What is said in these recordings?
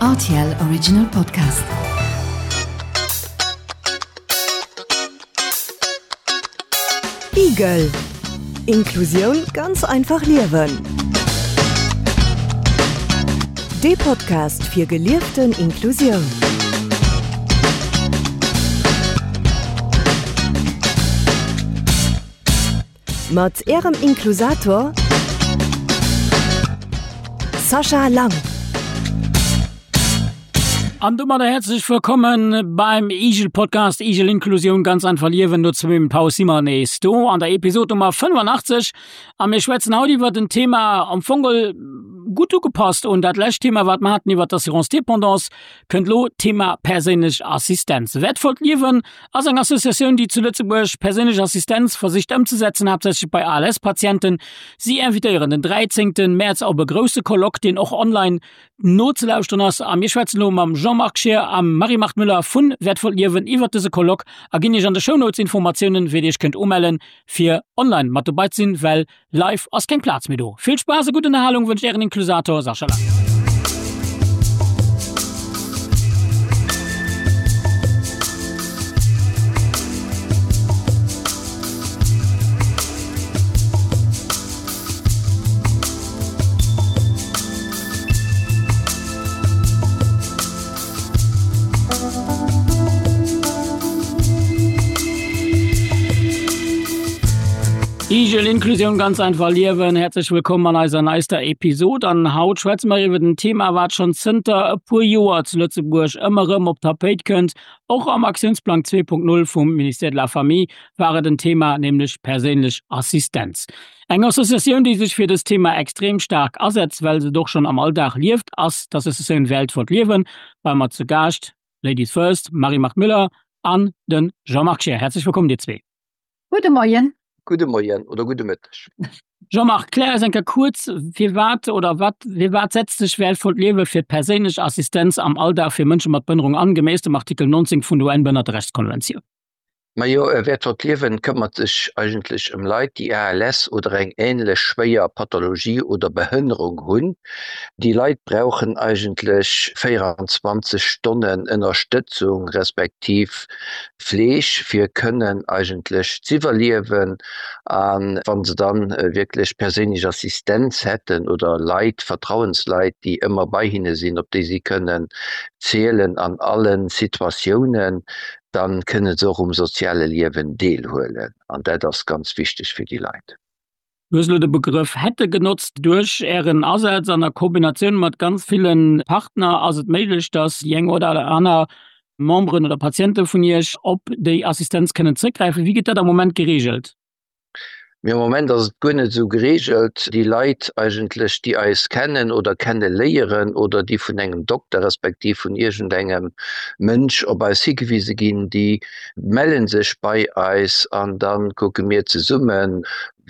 Rtl Original Podcast. Igel Inklusioun ganz einfach liewen. Dee Podcast fir gelieften Inklusioun. Mat Ärem Inklusator Sascha Lang. An domadder häerzlech wëllkommen beim Igel Podcast Igel Inklusioun ganz einfach liewen. No zwou Paus si mer nees do an der Episod Nummer 85 a mir schwätzen haut iwwert en Thema am Fong gutt ugepasst un dat lescht Thema wat mer haten iwwert d'Assurance dépendance kënnt lo d'Thema perséinlech Assistenz. Wäertvollt Liewen ass eng Associatioun, déi zu Lëtzebuerg perséinlech Assistenz versicht ëmzesetzen, haaptsächlech bei ALS-Patienten. Si invitéieren den 13. Mäerz op e grousse Colloque, deen och online nozelauschteren ass. A mir schwätzen elo mam Jean-Marc Scheer a Marie-Marthe Müller vu Wäertvollt Liewen iwwert dëse Colloque a ginn Iech an de Shownotes Informatiounen, wéi Dir Iech kënnt umellen, fir online mat dobei ze sinn, well Live ass keng Plaz méi do. Vill Spaass a gutt Ënnerhalung wënscht Ären Inklusator Sascha Lang. Igel Inklusioun ganz einfach liewen. Häerzlech wëllkomm an eiser neister Episod. An haut schwätze mer iwwer en Thema, wat schonn zënter e puer Joer zu Lëtzebuerg ëmmer erëm op d'Tapéit kënnt. Och am Aktiounsplang 2.0 vum Ministère de la Famille war et en Thema, nämlech perséinlech Assistenz. Eng Associatioun, déi sech fir dëst Thema extrem staark asetzt, well se et och schonn am Alldag lieft, ass d'Associatioun Wäertvollt Liewen. Bei mer zu Gaascht, Ladies first, Marie-Marthe Müller an de Jean-Marc Scheer. Häerzlech wëllkomm, dir zwee. Gudde Moien. Gudde Moien oder gudde Mëtteg. Jean-Marc, klär eis eng Kéier kuerz, firwat oder wat, firwat setzt sech Wäertvollt Liewe fir d'perséinlech Assistenz am Alldag fir Mënsche mat Behënnerung an, geméiss dem Artikel 19 vun der UN-Behënnerterechtskonventioun? Majo, Wäertvollt Liewen këmmert sech eigentlech ëm Leit, déi ALS oder eng änlech schwéier Pathologie oder Behënnerung hunn. Déi Leit brauchen eigentlech 24 Stonnen Ënnerstëtzung respektiv Fleeg, fir kënnen eigentlech z'iwwerliewen. A wa se dann wierklech perséinlech Assistenz hätten oder Leit, Vertrauensleit, déi ëmmer bei hinne sinn, op déi si kënnen zielen an allen Situatiounen, dann kënne se och um soziale Liewen deelhuelen an dat ass ganz wichteg fir déi Leit. Du hues elo de Begrëff hätte genotzt. Duerch Ären Asaz an a Kombinatioun mat ganz ville Partner ass et méiglech, dass déi eng oder aner Memberen oder Patiente vun Iech op déi Assistenz kënnen zréckgräifen. Wéi gëtt dat am Moment gereegelt? Mee am Moment ass et guer net esou geregelt. Déi Leit eigentlech, déi eis kennen oder kenne léieren oder déi vun engem Dokter respektiv vun iergendengem Mënsch op eis higewise ginn, déi melle sech bei eis an da kucke mir zesummen,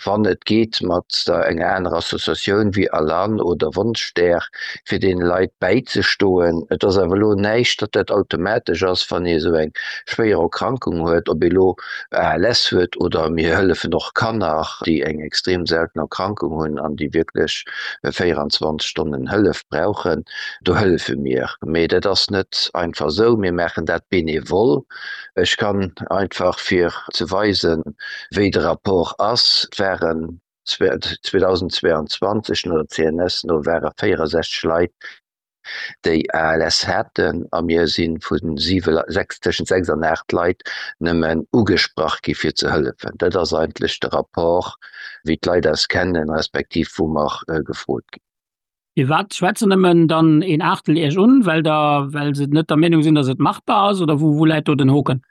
wann et geet mat der enger anerer Associatioun wéi Alan oder Wonschstär, fir deene Leit bäizestoen. Et ass awer elo näischt, datt dat automatesch ass, wann ee esou eng schwéier Erkrankung huet, ob ee elo ALS huet oder mir hëllefen och Kanner, déi eng extrem selten Erkrankung hunn an déi wierklech 24 Stonnen Hëllef brauchen. Do hëllefe mir. Mee dat ass net einfach esou. Mir maachen dat benevol. Ech kann einfach, fir ze weisen, wéi de Rapport ass, et waren 2022 no der CNS no ware 64 Leit, déi ALS haten a mir si vu tëschent 6 an 8 Leit nëmmen ugesprach gi fir ze hëllefen. Dat ass eigentlech de Rapport wéi d'Leit eis kennen, respektiv wou mer gefrot ginn. Firwat schwätzen nëmmen dann een Aachtel Iech un? Well der, well se net der Meenung sinn, datt et machbar ass oder wou läit do den Hoken?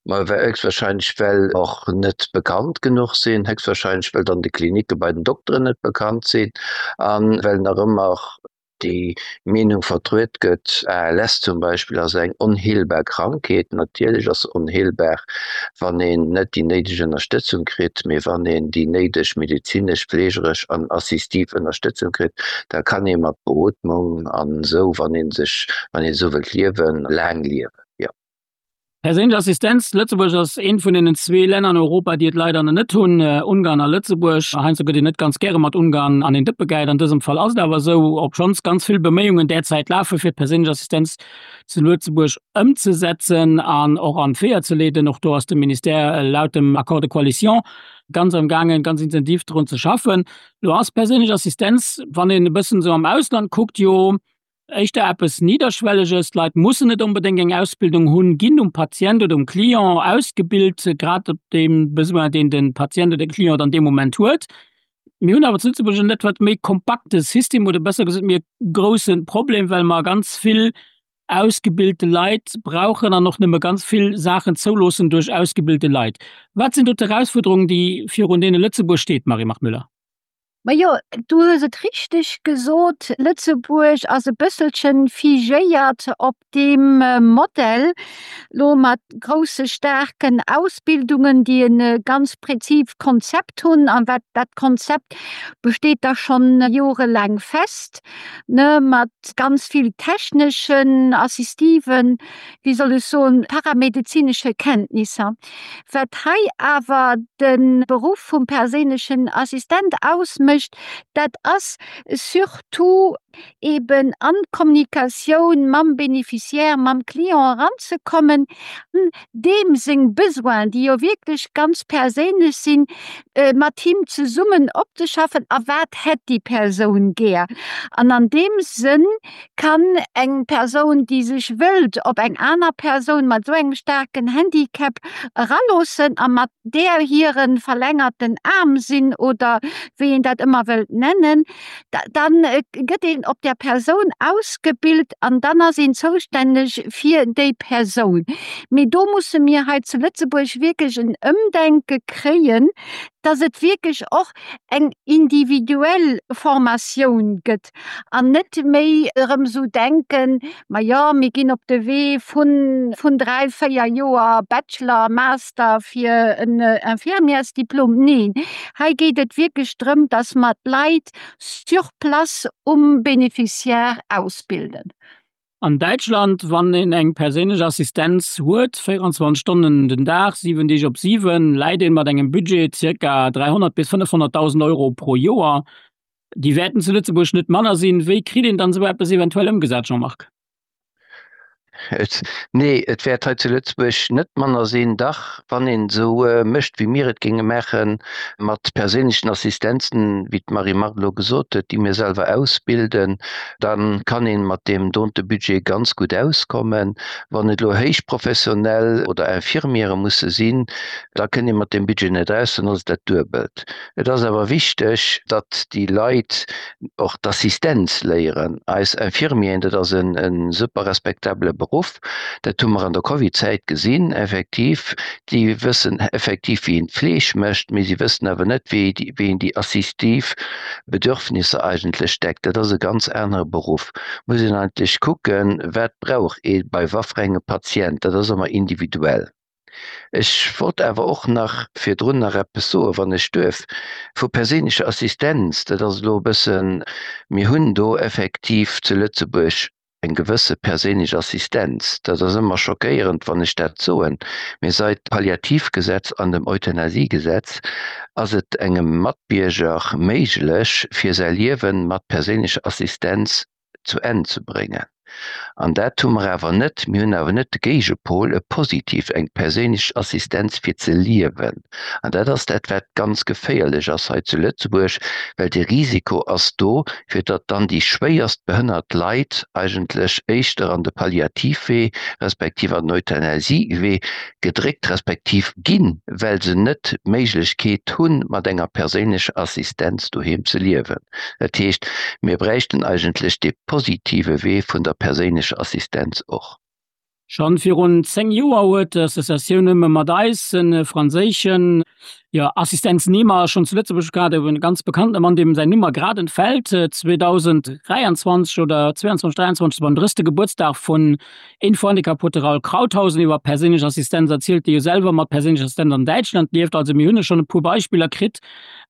Ma héchstwahrscheinlech well och net bekannt genuch sinn, héchstwahrscheinlech well dann de Klinicke bei den Dokteren net bekannt sinn a well nach ëmmer déi Meenung vertruet gëtt, ALS zum Beispill ass eng onheelbar Krankheet. Natierlech ass se onheelbar, wann een net déi néideg Ënnerstëtzung kritt, mee wann een déi néideg medezinesch, fleegeresch an assistiv Ënnerstëtzung kritt, da kann ee mat Beootmung an esou, wann ee sech, wann een esou wëllt liewen, laang liewen, jo. Perséinlech Assistenz, Lëtzebuerg ass eent vun deenen zwee Länner an Europa, déi et leider nach net hunn, Ungarn a Lëtzebuerg. Heiansdo gëtt een net ganz gäre mat Ungarn an een Dëppe gehäit. An dësem Fall ass et awer esou, obschonns ganz vill Beméiungen därzäit lafe fir d'perséinlech Assistenz zu Lëtzebuerg ëmzesetzen an och an d'Weeër ze leeden. Och do ass de Ministère laut dem Accord de coalition ganz am gaangen, ganz intensiv drun ze schaffen. Lo ass perséinlech Assistenz, wann een e bëssen esou am Ausland kuckt, jo éischter eppes Nidderschwelleges. D'Leit mussen net onbedéngt eng Ausbildung hunn, ginn um Patient oder um Client ausgebilt, grad op deem Besoin, deen de Patient oder de Client dann dee Moment huet. Mir hunn awer zu Lëtzebuerg en etwas méi kompakte System oder besser gesot mir e grousse Problem, well mer ganz vill ausgebilte Leit brauchen an och nëmme ganz vill Saachen zouloossen duerch ausgebilte Leit. Wat sinn do d'Erausfuerderungen, déi virun deene Lëtzebuerg steet, Marie-Marthe Müller? Majo, du hues et richteg gesot, Lëtzebuerg ass e bësselchen figéiert op deem Modell, lo mat grousse staarken Ausbildungen, déi e ganz präzist Konzept hunn, an wat dat Konzept besteet da schonn jorelaang fest, ne, mat ganz vill techneschen, assistiven, wéi soll ech soen, paramedezinesche Kenntnisser. Wat hei awer de Beruff vum perséinlechen Assistent ausmécht, dat ass surtout eben an d'Kommunikatioun mam Bénéficiaire, mam Client eranzekommen, deem seng Besoinen, déi jo wierklech ganz perséinlech sinn, mat him zesummen opzeschaffen a wat hätt déi Persoun gär. An an deem Sënn kann eng Persoun, déi sech wëllt op eng aner Persoun mat esou engem staarken Handicap eraloossen a mat där hire verlängerten Aarm sinn oder wéi een dat ëmmer wëllt nennen, da gëtt een op där Persoun ausgebilt an dann ass een zoustänneg fir déi Persoun. Mee do musse mir hei zu Lëtzebuerg wierklech en Ëmdenke kréien, dass et wierklech och eng individuell Formatioun gëtt an net méi erëm esou denken, ma jo, mir ginn op de Wee vun, vun 3, 4 Joer Bachelor, Master fir en Infirmièrsdiplom. Neen, hei geet et wierklech drëm, dass mer d'Leit sur place um Bénéficiaire ausbilden. An Däitschland, wann een eng perséinlech Assistenz huet, 24 Stonnen den Dag, 7 Deeg op 7, läit een mat engem Budget zirka 300 bis 500.000 Euro pro Joer. Déi wäerten zu Lëtzebuerg net manner sinn. Wéi kritt een dann esou eppes eventuell ëmgesat, Jean-Marc? Nee, et wäert hei zu Lëtzebuerg net manner sinn. Dach, wann een esou mécht, wéi mir et géinge maachen, mat perséinlechen Assistenzen, wéi d'Marie-Marthe elo gesot huet, déi mir selwer ausbilden, da kann ee mat deem donte Budget ganz gutt auskommen. Wann et elo héichprofessionell oder Infirmiere musse sinn, da kënnt ee mat deem Budget net aus, dann ass et dat Duebelt. Et ass awer wichteg, datt déi Leit och d'Assistenz léieren. Eis Infirmieren, dat ass e super respektabele Beruff, dat hu mer an der Covid-Zäit gesinn, effektiv, déi wëssen effektiv, wéi een d'Fleeg mécht, mee si wëssen awer net, wéi een déi assistiv Bedürfnisser eigentlech deckt. Dat ass e ganz anere Beruff. Muss een eigentlech kucken, wat brauch ee bei waffrengem Patient, dat ass ëmmer individuell. Ech wollt awer och nach virdrun nach eppes soen, wann ech duerf, vu perséinlecher Assistenz. Dat ass elo e bëssen, mir hunn do effektiv zu Lëtzebuerg eng gewësse perséinlech Assistenz. Dat ass ëmmer schockéierend, wann ech dat soen, mee seit Palliativgesetz an dem Euthanasiegesetz ass et engem Matbierger méiglech, fir säi Liewen mat perséinlecher Assistenz zu Enn ze bréngen. An dat hu mer awer net. Mir hunn awer net de Géigepol, e positiv, eng perséinlech Assistenz fir ze liewen. An dat ass dat, wat ganz geféierlech ass hei zu Lëtzebuerg, well de Risiko ass do, fir datt dann déi schwéierst behënnert Leit eigentlech éischter an de Palliativwee respektiv an den Euthanasiewee gedréckt respektiv ginn, well se net d'Méiglechkeet hunn, mat enger perséinlecher Assistenz doheem ze liewen. Dat heescht, mir bräichten eigentlech dee positive Wee vun der perséinlecher Assistenz och. Schonn virun 10 Joer huet d'Associatioun Nëmme mat eis e franséischen, Jo, Assistenznehmer schonn zu Lëtzebuerg gehat, e ganz bekannte Mann, deem säin Numm mer grad entfält, 2023 oder 22, 23 beim 30. Gebuertsdag vun Info-Handicap huet de Raul Krauthausen iwwer perséinlech Assistenz erzielt, dee jo selwer mat perséinlecher Assistenz an Däitschland lieft. Also mir hunn schonn e puer Beispiller kritt,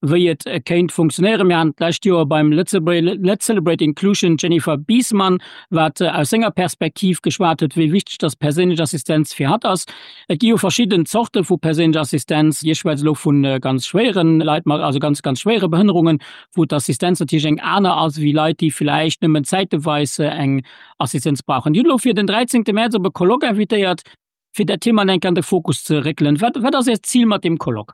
wéi et kéint funktionéieren. Mir haten d'lescht Joer beim Let's Celebrate Inclusion d'Jennifer Biesmann, wat aus senger Perspektiv geschwat huet, wéi wichteg dass perséinlech Assistenz fir hatt ass. Et gi jo verschidden Zorte vu perséinlecher Assistenz. Dir schwätzt elo vu ganz schwéiere Leit mat, also ganz, ganz schwéiere Behënnerungen, wou d'Assistenz natierlech eng aner ass wéi Leit, déi vläicht nëmmen zäiteweis eng Assistenz brauchen. Dir hutt elo fir den 13. Mäerz op e Colloque invitéiert, fir dat Thema eng Kéier an de Fokus ze réckelen. Wat, wat ass Äert Zil mat deem Colloque?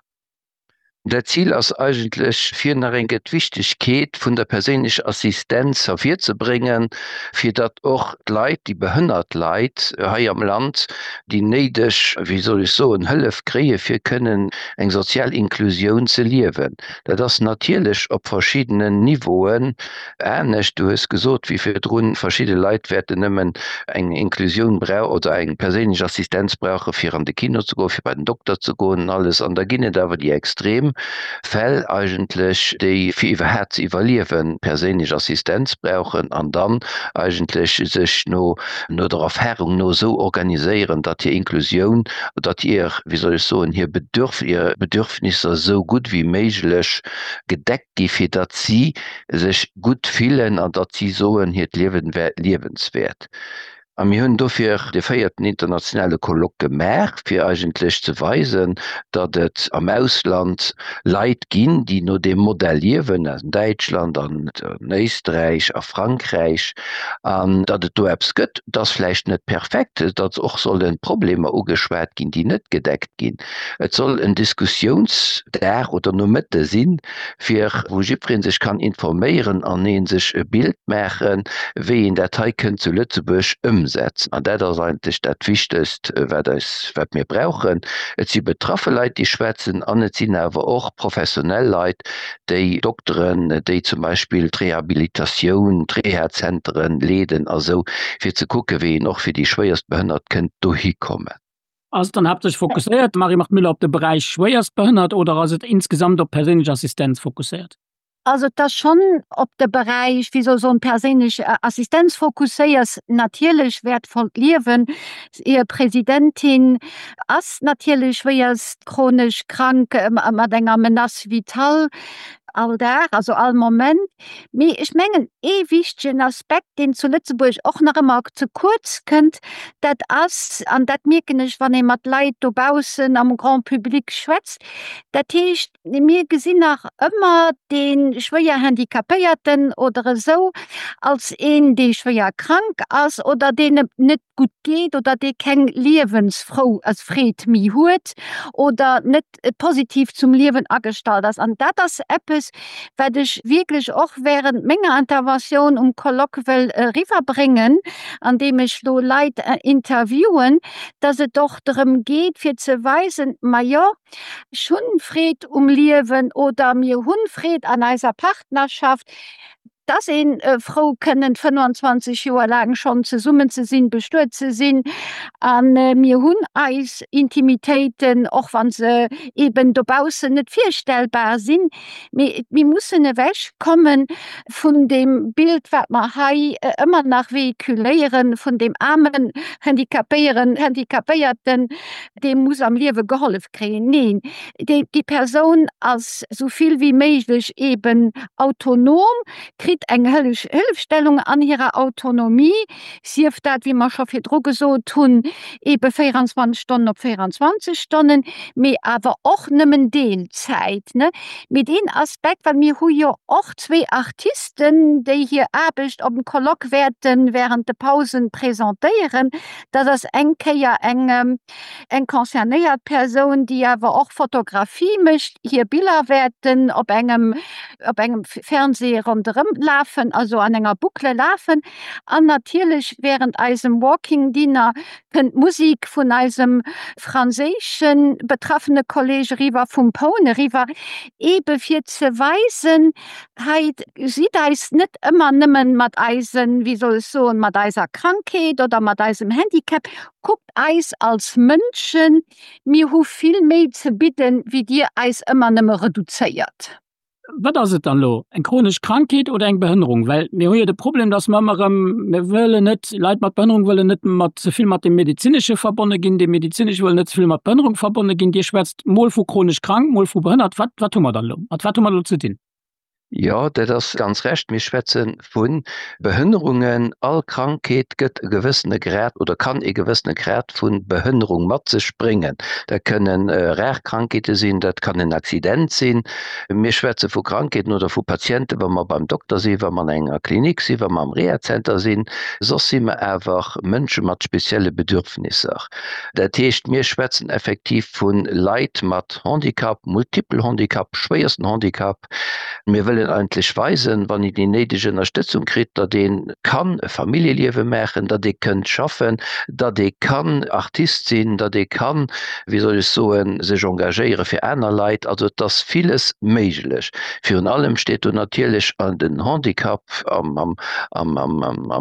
Dat Zil ass eigentlech, fir nach eng Kéier d'Wichtegkeet vun der perséinlecher Assistenz ervirzebréngen, fir datt och d'Leit, déi behënnert Leit hei am Land, déi néideg, wéi soll ech soen, Hëllef kréie fir kënnen eng sozial Inklusioun ze liewen. Dat ass natierlech op verschiddenen Niveauen Anescht, du hues gesot, wéi virdrun, verschidde Leit wäerten nëmmen eng Inklusioun brau oder eng perséinlech Assistenz brauche fir an de Kino ze goen, fir bei den Dokter ze goen an alles. An da ginn et awer déi extrem Fäll eigentlech, déi fir iwwerhaapt ze iwwerliewen perséinlech Assistenz brauchen an dann eigentlech sech no no der Erfahrung no esou organiséieren, datt hir Inklusioun, datt hir, wéi soll ech soen, hir Bedürf hir Bedürfnisser esou gutt wéi méiglech gedeckt gi fir datt si sech gutt fillen an datt si soen, hiert Liewen wär liewenswäert. A mir hunn dofir de véierten internationale Colloque gemaach, fir eigentlech ze weisen, datt et am Ausland Leit ginn, déi no deem Modell liewen, an Däitschland, an Éisträich, a Frankräich, an datt et do eppes gëtt. Et ass vläicht net perfekt, datt och solle Problemer ugeschwat ginn, déi net gedeckt ginn. Et soll en Diskussiounsdag oder Nomëtte sinn, fir wou jiddweree sech kann informéieren an ee sech e Bild maachen, wéi een dat hei kënnt zu Lëtzebuerg ëmsetzen. An dat ass eigentlech dat Wichtegst, wat eis, wat mir brauchen. Et si betraffe Leit, déi schwätzen, an et sinn awer och professionell Leit, déi Dokteren, déi zum Beispill d'Rehabilitatioun, d'Rehazenteren leeden a sou, fir ze kucken, wéi een och fir déi Schwéierstbehënnert kënnt dohi kommen. Ass et dann haaptsächlech fokusséiert, Marie-Marthe Müller, op de Beräich schwéierstbehënnert oder ass et insgesamt op perséinlech Assistenz fokusséiert? Also et ass schonn op de Beräich, wéi soll ech soen, perséinlech Assistenz fokusséiert. Natierlech wäertvollt Liewen. Hir Presidentin ass natierlech schwéierst chronesch krank mat enger Menace vitale all Dag, also all Moment. Mee ech mengen, ee wichtegen Aspekt, deen zu Lëtzebuerg och nach ëmmer ze kuerz kënnt, dat ass, an dat mierken ech, wann ee mat Leit dobaussen am Grand public schwätzt, dat heescht, mir gesinn nach ëmmer dee schwéier Handicapéierten oder esou als een, dee schwéier krank ass oder deen et net gutt geet oder dee keng Liewensfrou, also Freed méi huet oder net positiv zum Liewen agestallt ass. An dat ass eppes, wat ech wierklech och während menger Interventioun um Colloque wëll eriwwerbréngen, andeem ech do Leit interviewen, dass et och drëm geet fir ze weisen, Majo, ech hunn Freed um Liewen oder mir hunn Freed an eiser Partnerschaft, 't ass ee frou kënnen 25 Joer laang schonn zesummen ze sinn, bestuet ze sinn a mir hunn eis Intimitéiten, och wa se eeben dobaussen net virstellbar sinn. Mee mir mussen ewech komme vun deem Bild, wat mer hei ëmmer nach véhiculéieren, vun deem aarmen Handicapéieren, Handicapéierten, dee muss am Liewe gehollef kréien. Neen, déi Persoun ass esou vill wéi méiglech eeben autonom, kritt eng Hëllefstellung an hirer Autonomie, sief dat, wéi mer scho virdru gesot hunn, eebe 24 Stonnen op 24 Stonnen, mee awer och nëmmen Deelzäit. Mee deen Aspekt, well mir hu jo och zwee Artisten, déi hir Aarbecht op dem Colloque wäerte während de Pausen presentéieren, dat ass eng Kéier eng, Eng concernéiert Persoun, déi awer och Fotografie mécht, hir Biller wäerten op engem op engem Fernseh ronderëm. lafen, also an enger Boucle lafen. An natierlech während eisem Walking Dinner kënnt d'Musik vun eisem franséische betraffene Kolleg eriwwer, vum Pone eriwwer, eebe fir ze weisen, hei sidd eis net ëmmer nëmmen mat eisen, wéi soll ech soen, mat eiser Krankheet oder mat eisem Handicap, kuckt eis als Mënschen, mir hu vill méi ze bidden, wéi dir eis ëmmer nëmme reduzéiert. Wat ass et dann elo, eng chronesch Krankheet oder eng Behënnerung? Well mir hu jo de Problem, dass mer ëmmer erëm, mir wëllen net, Leit mat Behënnerung wëllen net mat ze vill mat dem Medezinesche verbonne ginn, dee Medezinesche wëll net ze vill mat Behënnerung verbonne ginn. Dir schwätzt mol vu chronesch krank, mol vu behënnert. Wat, wat hu mer dann elo? Mat wat hu mer elo ze dinn? Jo, dat ass ganz recht. Mir schwätze vu Behënnerungen. All Krankheet gëtt e gewëssene Grad oder kann e gewëssene Grad vu Behënnerung mat sech bréngen. Dat kënnen rar Krankheete sinn, dat kann en Accident sinn. Mir schwätze vu Krankheeten oder vu Patienten, wa mer beim Dokter sinn, wa mer an enger Klinik sinn, wa mer am Rehazenter sinn. Soss si mer awer Mënsche mat spezielle Bedürfnisser. Dat heescht, mir schwätzen effektiv vu Leit mat Handicap, multiple Handicap, schwéiersten Handicap. Mir wëllen eigentlech weisen, wann een déi néideg Ënnerstëtzung kritt, datt ee kann e Familljeliewe maachen, datt ee kënnt schaffen, datt ee kann Artist sinn, datt ee kann, wéi soll ech soen, sech engagéiere fir aner Leit. Also et ass villes méiglech. Virun allem steet do natierlech den Handicap am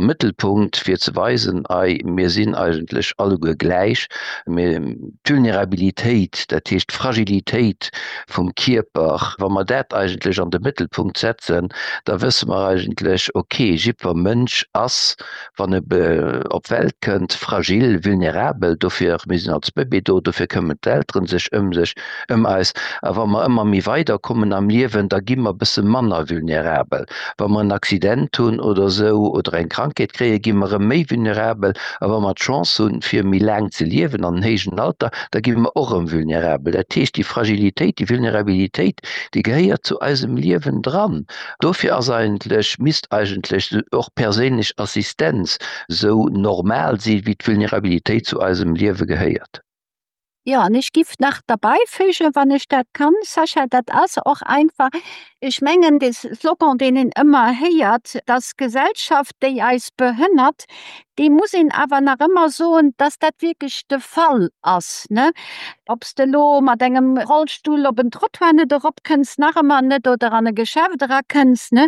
Mëttelpunkt, fir ze weisen, ei mir sinn eigentlech alleguer gläich, mir, D'Vulnerabilitéit, dat heescht d'Fragilitéit vum Kierper, wa mer dat eigentlech an de Mëttelpunkt setzen, da wësse mer eigentlech, okay, jiddwer Mënsch ass, wann e op d'Welt kënnt, fragil, vulnerabel. Dofir, mir sinn als Bëbee do, dofir këmmen d'Eltere sech ëm sech, ëm eis. A wa mer ëmmer méi weider kommen am Liewen, da gi mer e bësse manner vulnerabel. Wa mer en Accident hunn oder esou oder eng Krankheet kréien, gi mer erëm méi vulnerabel. A wa mer d'Chance hunn, fir méi laang ze liewen an en héijen Alter, da gi mer och erëm vulnerabel. Dat heescht, déi Fragilitéit, déi Vulnerabilitéit, déi gehéiert zu eisem Liewen dran. Dofir ass eigentlech, misst eigentlech och perséinlech Assistenz esou normal si wéi d'Vulnerabilitéit zu eisem Liewe gehéiert. Jo, an ech giff nach derbeifügen, wann ech dat kann, Sascha, dat ass och einfach, ech mengen, dee Slogan, deen een ëmmer héiert, dass d'Gesellschaft, déi eis behënnert, dee muss een awer nach ëmmer soen, dass dat wierklech de Fall ass, ne? Ob s de elo mat engem Rollstull op en Trottoir net eropkënns, nach ëmmer net, oder an e Geschäft erakënns, ne,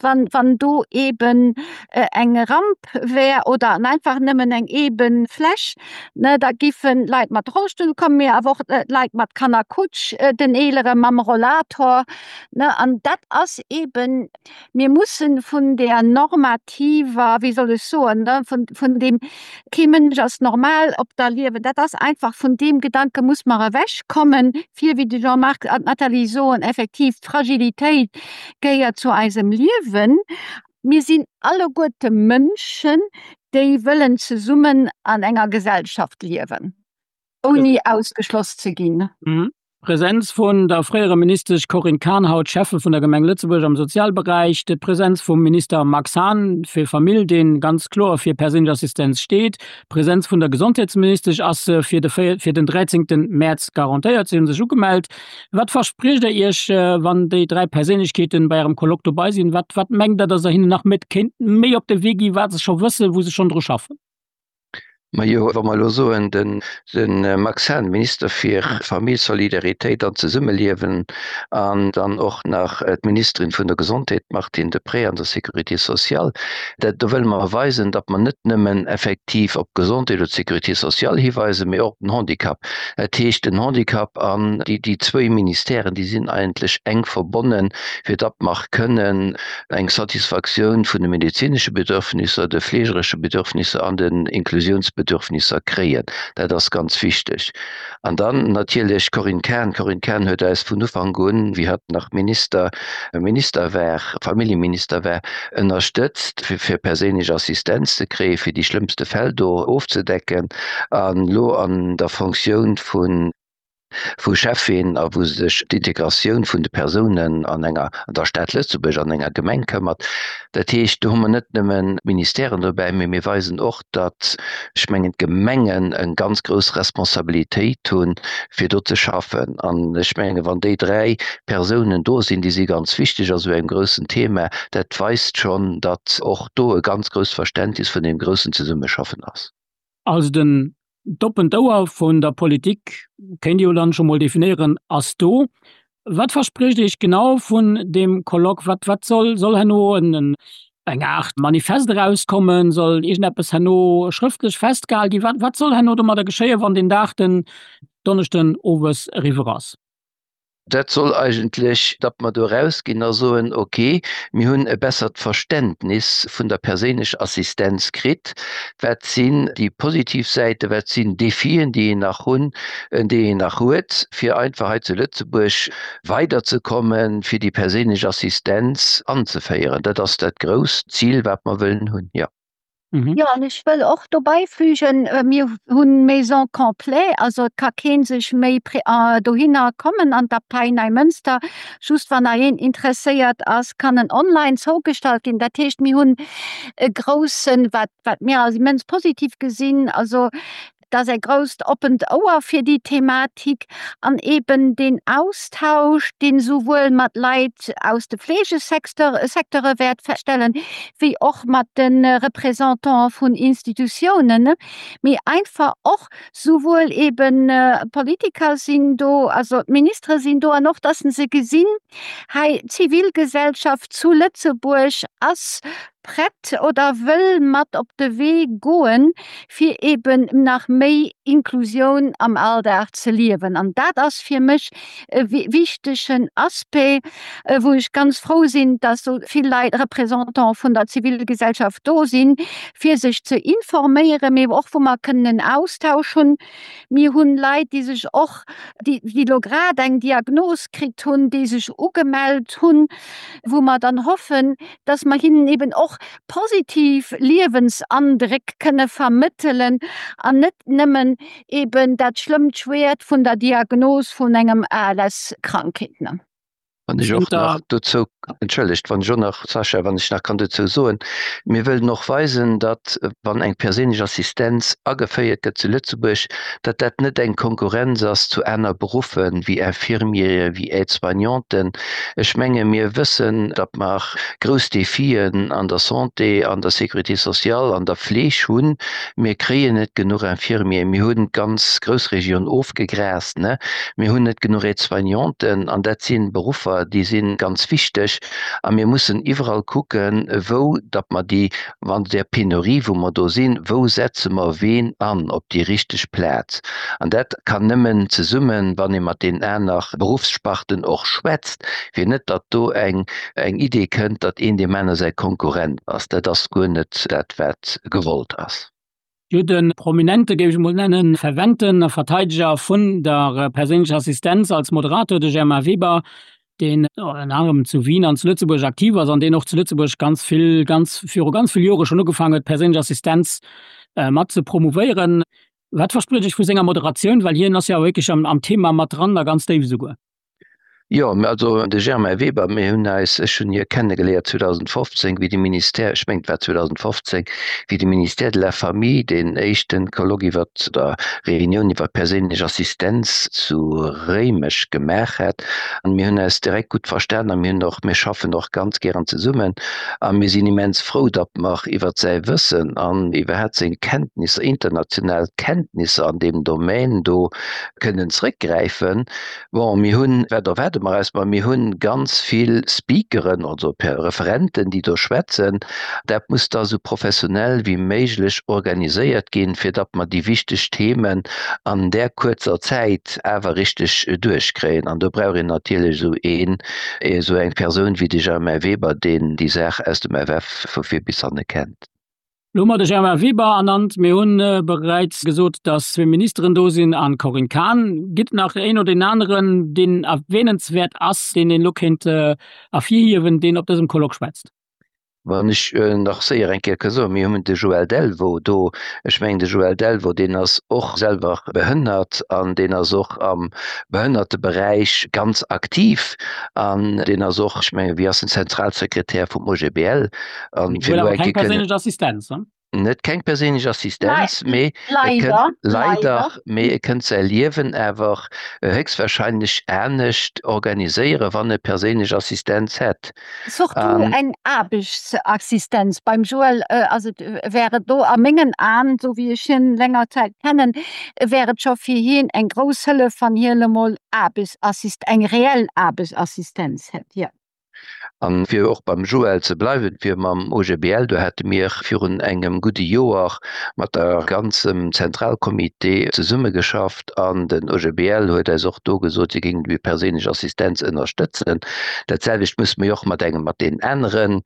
wann, wann do eeben eng Ramp wär oder einfach nëmmen eng eben Fläch, Ne, da giffen Leit mat Rollstull kommen, mee awer och Leit mat Kannerkutsch, den Eelere mam Rollator. Ne, an dat ass eben, mir mussen vun där normativer, wéi soll ech soen, ne, vun, vun deem kee Mënsch ass normal op der Liewen, dat ass einfach, vun deem Gedanke muss mer ewechkommen, fir, wéi de Jean-Marc an d'Nathalie soen, effektiv d'Fragilitéit gehéiert zu eisem Liewen. Mir sinn alleguerte Mënschen, déi wëllen zesummen an enger Gesellschaft liewen, ouni ausgeschloss ze ginn. D'Presenz vun der fréierer Ministesch Corinne Cahen, haut Schäffe vun der Gemeng Lëtzebuerg am Sozialberäich, d'Presenz vum Minister Max Hahn fir Famill, dee ganz kloer fir perséinlech Assistenz steet, d'Presenz vun der Gesondheetsministesch ass fir de fir den 13 Mäerz garantéiert, si hu sech ugemellt. Wat verspriecht der Iech, wann déi 3 Perséinlechkeeten bei Ärem Colloque dobei sinn? Wat, wat mengt Der, datt Der hinnen nach mit kéint méi op de Wee ginn, wat se scho wëssen, wou se schonn dru schaffen? Majo, wa mer elo soen, den, de Max Hahn, Minister fir Famill, Solidaritéit an Zesummeliewen, an dann och nach d'Ministerin vun der Gesondheet, d'Martine Deprez, an der Sécurité sociale, dat, do wëlle mer weisen, datt mer net nëmmen effektiv op d'Gesondheet oder d'Sécurité sociale hiweisen, mee och op den Handicap. Dat heescht, den Handicap an déi, déi zwéi Ministèren, déi sinn eigentlech enk verbonnen, fir datt mer kënnen eng Satisfaktioun vun de medezinesche Bedürfnisser, de fleegeresche Bedürfnisser an den Inklusionsbedürfnisser kréien. Dat ass ganz wichteg. An dann natierlech d'Corinne Cahen. D'Corinne Cahen huet eis vun Ufank un, wéi hatt nach Minister, Minister war, Familljeminister war, ënnerstëtzt, fir perséinlech Assistenz ze kréien, fir déi schlëmmste Fäll do ofzedecken. An elo an der Fonctioun vun. Vu Schäffin a wou sech d'Integratioun vun de Persounen an enger, an der Stad Lëtzebuerg, an enger Gemeng këmmert. Dat heescht, do hu mer net nëmmen d'Ministèren dobäi, mee mir weisen och, datt, ech mengen, d'Gemengen eng ganz grouss Responsabilitéit hunn, fir do ze schaffen. An ech mengen, wann déi 3 Persounen do sinn, déi si ganz wichteg a sou engem groussen Thema, dat weist schonn, datt och do e ganz grousst Verständnis vun deem groussen Zesummeschaffen ass. Also den D'oppent Ouer vun der Politik, kéint ee jo dann scho mol definéieren, ass do. Wat verspricht Iech genau vun deem Colloque? Wat, wat soll, soll herno en, eng Aart Manifest erauskommen? Soll iergendeppes herno schrëftlech festgehal ginn? Wat, wat soll herno domadder geschéien, wann deen Dag, den Donneschden owes, eriwwer ass? Dat soll eigentlech, datt mer do erausginn a soen, ok, mir hunn e bessert Verständnis vun der perséinlecher Assistenz kritt, wat sinn déi positiv Säiten, wat sinn d'Defien, déi een nach hunn, déi een nach huet, fir einfach hei zu Lëtzebuerg weiderzekommen, fir déi perséinlech Assistenz anzeféieren. Dat ass dat grousst Zil, wat mer wëllen hunn, jo. Mhm. Jo, an ech wëll och dobäi fügen, mir hunn Maison complet, also et ka kee sech méi dohinner kommen an d'Abtei Neimënster. Just wann nach een interesséiert ass, kann en online zougestallt ginn. Dat heescht, mir hunn e groussen, wat wat mir als immens positiv gesinn, also Et ass e grousst oppent Ouer fir déi Thematik an eben deen Austausch, deen souwuel mat Leit aus de Fleegesecteure wäert feststellen, wéi och mat de Représentante vun Institutiounen, mee einfach och souwuel eben Politiker sinn do, also d'Ministere sinn do, an och dass se gesinn, hei d'Zivilgesellschaft zu Lëtzebuerg ass prett oder wëll mat op de Wee goen, fir eben nach méi Inklusioun am Alldag ze liewen. An dat ass fir mech e wichtegen Aspect, wou ech ganz frou sinn, dass esou vill Leit, Représentants vun der Zivilgesellschaft do sinn, fir sech ze informéieren, mee och wou mer kënnen en Austausch hunn. Mir hunn Leit, déi sech och, déi elo grad eng Diagnos kritt hunn, déi sech ugemellt hunn, wou mer dann hoffen, dass mer hinnen eben och positiv Liewensandréck kënne vermëttelen an net nëmmen eben dat schlëmmt Schwäert vun der Diagnos vun engem ALS-Krankheet. Wann ech och nach dozou, entschëllegt, wann ech och nach, Sascha, wann ech nach kann dozou soen, mir wëllen och weisen, datt wann eng perséinlech Assistenz ageféiert gëtt zu Lëtzebuerg, datt dat net eng Konkurrenz ass zu aner Beruffe wéi Infirmiere, wéi Aide-soignanten. Ech menge mir wëssen, datt mer grouss Defien an der Santé, an der Sécurité sociale, an der Fleeg hunn. Mir kréien net genuch Infirmieren, mir hunn d'ganz Groussregioun ofgegraast, mir hunn net genuch Aide-soignanten an dat si Beruffer, déi si ganz wichteg a mir mussen iwwerall kucken, wou datt mer déi An där Penurie, wou mer do sinn, wou setze mer ween an op déi richteg Plaz? An dat kann nëmmen zesummen, wann ee mat deenen aner Beruffssparten och schwätzt, fir net, datt do eng eng Idee kënnt, datt een deem aner säi Konkurrent ass. Dat ass guer net dat, wat gewollt ass. Jo, de prominente, géif ech emol nennen, ferventen Verteideger vun der perséinlecher Assistenz als Moderator, de Germain Weber, deen ënner anerem zu Wien an zu Lëtzebuerg aktiv ass an deen och zu Lëtzebuerg ganz vill, ganz viru ganz vill Jore schonn ugefaangen huet, perséinlech Assistenz mat ze promouvéieren. Wat verspricht Iech vu senger Moderatioun, well hien ass jo wierklech am Thema mat dran a ganz déif esouguer? Jo, mä also de Germain Weber, mir hunn eis, ech hunn hie kennegeléiert 2015, wéi de Ministère, ech mengen et war 2015, wéi de Ministère de la Famille deen éischten Colloque iwwert, oder Reunioun iwwer perséinlech Assistenz zu Réimech gemaach hat. An mir hunn eis direkt gutt verstan a mir hunn och, mir schaffen och ganz gären zesummen a mir sinn immens frou, datt mer iwwert säi Wëssen an iwwerhaapt seng Kenntnisser, international Kenntnisser an deem Domaine do kënnen zrëckgräifen. Bon, mir hunn, wat erwaarde mer eis? Ma mir hunn ganz vill Speakeren, also Referenten, déi do schwätzen. Dat muss da sou professionell wéi méiglech organiséiert ginn, fir datt mer déi wichteg Themen an där kuerzer Zäit awer richteg duerchkréien. An do brauch een natierlech esou een, esou eng Persoun wéi de Germain Weber, deen déi Saach aus dem FF vu vir bis hanne kennt. Lo hu mer de Germain Weber ernannt. Mir hu bereits gesot, datt zwee Ministeren do sinn an d'Corinne Cahen. Gitt nach een oder deen aneren, deen erwähnenswäert ass, deen een elo kéint ervirhiewen, deen op dësem Colloque schwätzt? Wann ech nach séier eng Kéier ka soen, mir hunn de Joël Delvaux do. Ech mengen, de Joël Delvaux, deen ass och selwer behënnert an deen ass och am Behënnerteberäich ganz aktiv an deen ass och, ech mengen, wéi ass en, Zentralsekretär vum OGBL. An fir elo eng Kéier kënnen. Keng perséinlech Assistenz, ne? Net keng perséinlech Assistenz, mee e kënnt, leider, mee e kënnt säi Liewen awer héchstwahrscheinlech anescht organiséieren, wann e perséinlech Assistenz hätt. Surtout eng Aarbechtsassistenz. Beim Joël ass et, wär et do a mengen Aen, esou wéi ech hien länger Zäit kennen, wär et scho fir hien eng grouss Hëllef, wann hien emol Aarbechtsassist, eng reell Aarbechtsassistenz hätt, jo. An fir och beim Joël ze bleiwen, fir mam OGBL, do hate mir virun engem gudde Joer mat der ganzem Zentralcomité zesummegeschafft an den OGBL huet eis och do gesot, si géingen déi perséinlech Assistenz ënnerstëtzen. Dat selwecht musse mir jo och mat engem, mat deenen aneren,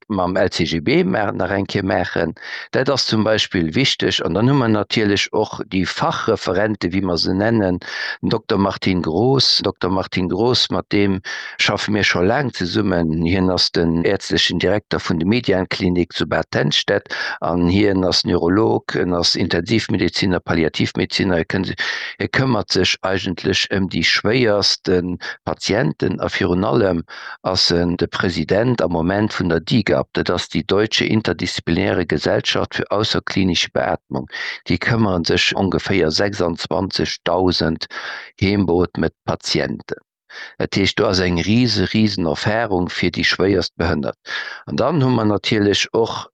mam LCGB nach eng Kéier maachen. Dat ass zum Beispill wichteg. An dann hu mer natierlech och déi Fachreferente, wéi mer se nennen, den Dokter Martin Groß. Dokter Martin Groß, mat deem schaffe mir scho laang zesummen. Hien ass den äerztlechen Direkter vun de Median-Klinik zu Bad Tennstedt an hien ass Neurolog, en ass Intensivmedeziner, Palliativmedeziner. Hie këmmert sech eigentlech ëm déi schwéierste Patienten a virun allem ass en de President am Moment vun der DIGAB, dat ass déi Deutsche Interdisziplinäre Gesellschaft für außerklinische Beatmung. Déi këmmere sech ongeféier 26.000 heembeootmet Patienten. Dat heescht, do ass eng rise, risen Erfahrung fir déi schwéierst Behënnert. An dann hu mer natierlech och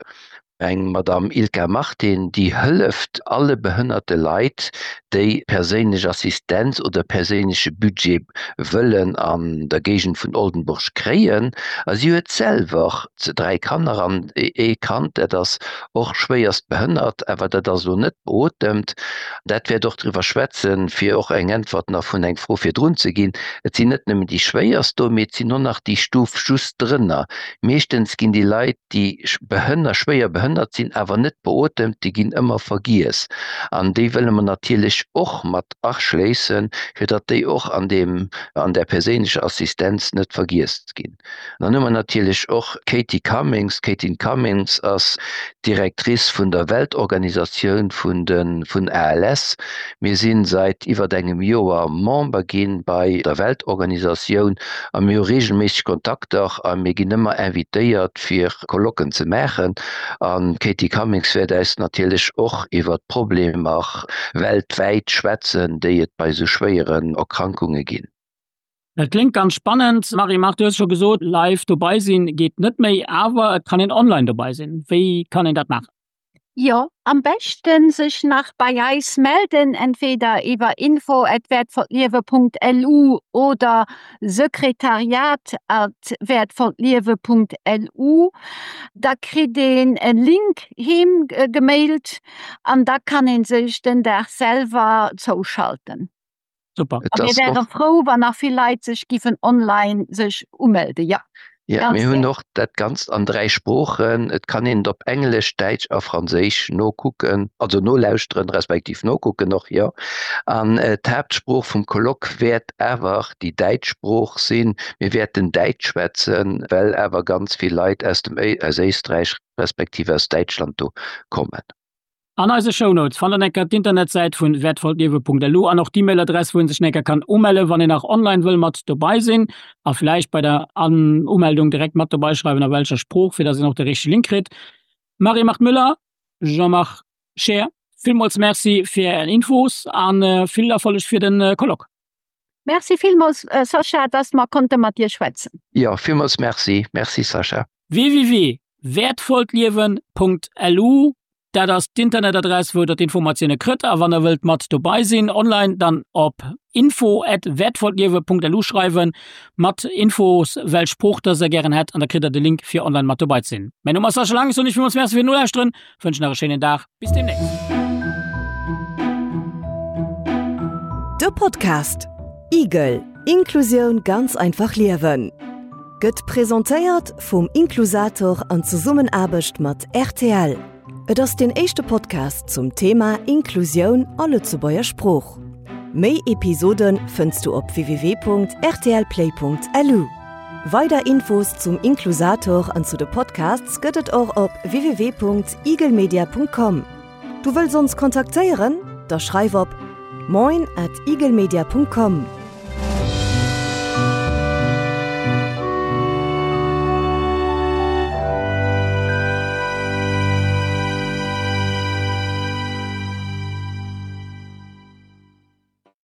eng Madame Ilka Martin, déi hëlleft alle behënnerte Leit, déi perséinlech Assistenz oder perséinleche Budget wëllen an der Géigend vun Oldenburg kréien. A si huet selwer 3 Kanner an ee Kand, dat ass och schwéierst behënnert, awer dat ass elo net beotemt. Dat wäert och driwwer schwätzen, fir och eng Äntwert nach vun eng Fro virdrun ze ginn. Et sinn net nëmmen déi schwéierst do, mee et sinn och nach déi Stuf just drënner. Meeschtens ginn déi Leit, déi behënner, schwéier behënnert sinn, awer net beotemt, déi ginn ëmmer vergiess. An déi wëlle mer natierlech och mat aschléissen, fir datt déi och an deem, an där perséinlecher Assistenz net vergiess ginn. An dann hu mer natierlech och d'Katie Cummings. D'Katie Cummings ass d'Directrice vun der Weltorganisatioun vun de, vun ALS. Mir si säit iwwert engem Joer Member gi bei der Weltorganisatioun a mir hu reegelméisseg Kontakter a mir ginn ëmmer invitéiert, fir Colloquen ze maachen. An d'Katie Cummings wäert äis natierlech och iwwert d'Problemer weltwäit schwätzen, déi et bei esou schwéieren Erkrankunge ginn. Dat kléngt ganz spannend. Marie-Marthe, du hues scho gesot, live dobei sinn geet net méi, awer et kann een online dobei sinn. Wéi kann een dat maachen? Jo, am beschten sech nach bei eis melden, entweder iwwer info@wertvolltliewe.lu oder sekretariat@wertvolltliewe.lu. Da kritt een e Link heem gemailt an da kann een sech den Dag selwer zouschalten. Super. A mir wäre frou, wann nach vill Leit sech giffen online sech umelde. Ja. Ja, mir hunn och dat Ganzt an 3 Sproochen. Et kann een et op Englesch, Däitsch a Franséisch nokucken, also nolauschteren, respektiv nokucken och, jo. An d'Haaptsprooch vum Colloque wäert awer déi däitsch Sprooch sinn. Mir wäerten Däitsch schwätzen, well awer ganz vill Leit aus dem, aus Éisträich respektiv aus Däitschland do kommen. An eise Shownotes fannt der enker d'Internetsäit vun wertvolltliewe.lu an och d'E-Mail-Adress wou een sech enker kann umellen wann een nach online wëll mat dobei sinn a vläicht bei der Umeldung direkt mat dobei schreiwen a welcher Sprooch fir dass een och de richtege Link kritt. Marie-Marthe Müller, Jean-Marc Scheer, villmools Merci fir är Infos an vill Erfolleg fir den Colloque. Merci villmools Sascha, dass mer konnte mat dir schwätzen. Jo, villmools Merci. Merci Sascha. www.wertvolltliewen.lu, dat ass d'Internetadress wou der d'Informatioune krëtt a wann der wëllt mat dobei sinn online, dann op info@wertvolltliewe.lu schreiwen mat Infos welch Sprooch dass der gären hätt an da kritt der de Link fir online mat dobei ze sinn. Mäin Numm ass Sascha Lang, ech soen iech villmools Merci fir d'Nolauschteren, wënschen nach e schéinen Dag, bis demnächst. De Podcast Igel, Inklusioun ganz einfach liewen gëtt presentéiert vum Inklusator an Zesummenaarbecht mat rtl. Et ass deen éischte Podcast zum Thema Inklusioun a Lëtzebuerger Sprooch. Méi Episode fënns du op www.rtlplay.lu. Weider Infos zum Inklusator an zu de Podcasts gëtt et och op www.igelmedia.com. Du wëlls ons kontaktéieren? Da schreif op moin at igelmedia.com.